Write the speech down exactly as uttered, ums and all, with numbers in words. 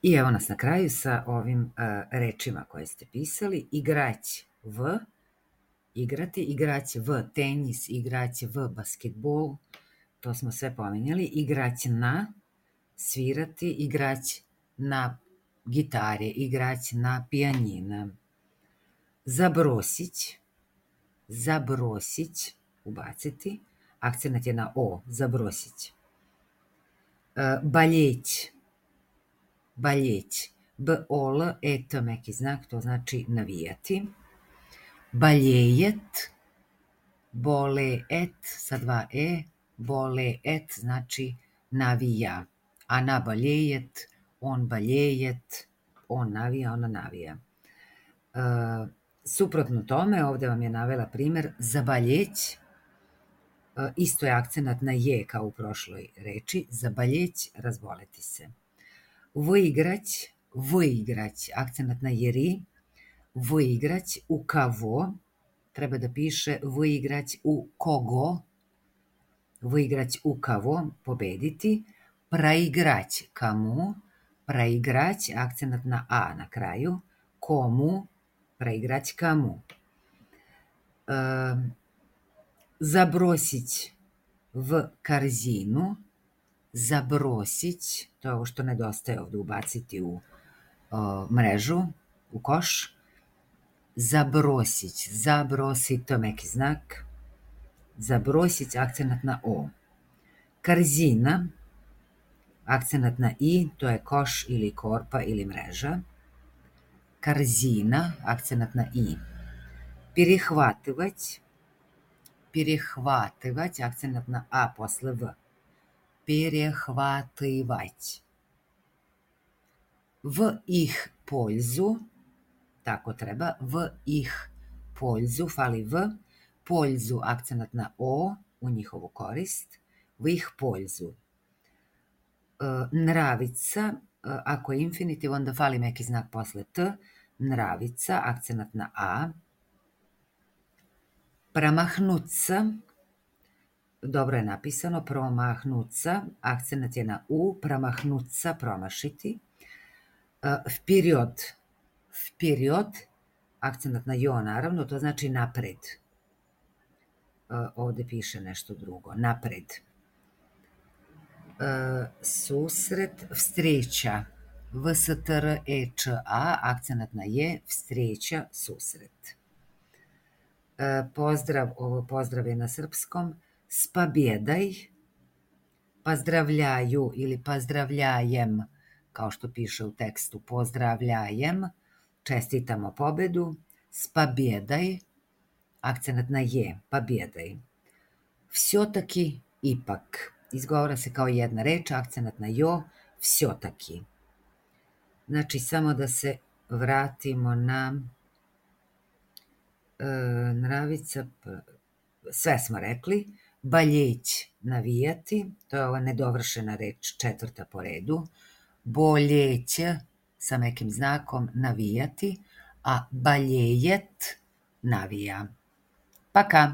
I evo nas na kraju sa ovim uh, rečima koje ste pisali. Igrać v, igrati, igrać v tenis, igrać v basketbol, to smo sve pominjali. Igrać na, svirati, igrać na gitare, igrać na pijanina. Zabrosić, zabrosić, ubaciti, akcenat je na o, zabrosić. Uh, baljeć, baljeć, b-o-l, et, meki znak, to znači navijati. Baljejet, boleet, sa dva e, boleet znači navija, a na baljejet, on baljejet, on navija, ona navija. Uh, suprotno tome, ovde vam je navela primer zabaljeć, uh, isto je akcenat na je kao u prošloj reči, zabaljeć, razboleti se. Vygrać, vygrać, akcenat na jeri, vygrać u kavo, treba da piše vygrać u kogo, vygrać u kavo, pobediti, praigrać kamu, praigrać, akcenat na a na kraju, komu, praigrać kamu. E, zabrosić v karzinu, zabrosić, to je ovo što nedostaje ovde, ubaciti u o, mrežu, u koš. Zabrosić, zabrosit, to je meki znak. Zabrosić, akcenat na o. Karzina, akcenat na i, to je koš ili korpa ili mreža. Karzina, akcenat na i. Перехватывать, перехватывать, акцент на а после в. Перехватывать. В их пользу, tako treba, v ih пользу, fali v, пользу, akcent na o, u njihovu korist, v ih пользу. Nravica, ako je infinitiv, onda fali meki znak posle t, nravica, akcent na a. Pramahnuca, dobro je napisano, promahnuca, akcenat je na u, pramahnuca, promašiti. Vperiod, vperiod, akcenat na jo, naravno, to znači napred. Ovde piše nešto drugo, napred. Susret, vstreća, v-s-t-r-e-č-a, akcenat na je, vstreća, susret. Pozdrav, ovo pozdrav je na srpskom, spabjedaj, pozdravljaju ili pozdravljajem, kao što piše u tekstu, pozdravljajem, čestitamo pobedu, spabjedaj, akcenat na je, pobjedaj. Всё-таки, ipak, izgovara se kao jedna reč, akcenat na jo, всё-таки. Znači, samo da se vratimo na e, nravica, sve smo rekli, baljeć, navijati, to je ova nedovršena reč, četvrta po redu, boljeć, sa nekim znakom, navijati, a baljejet, navija. Пока!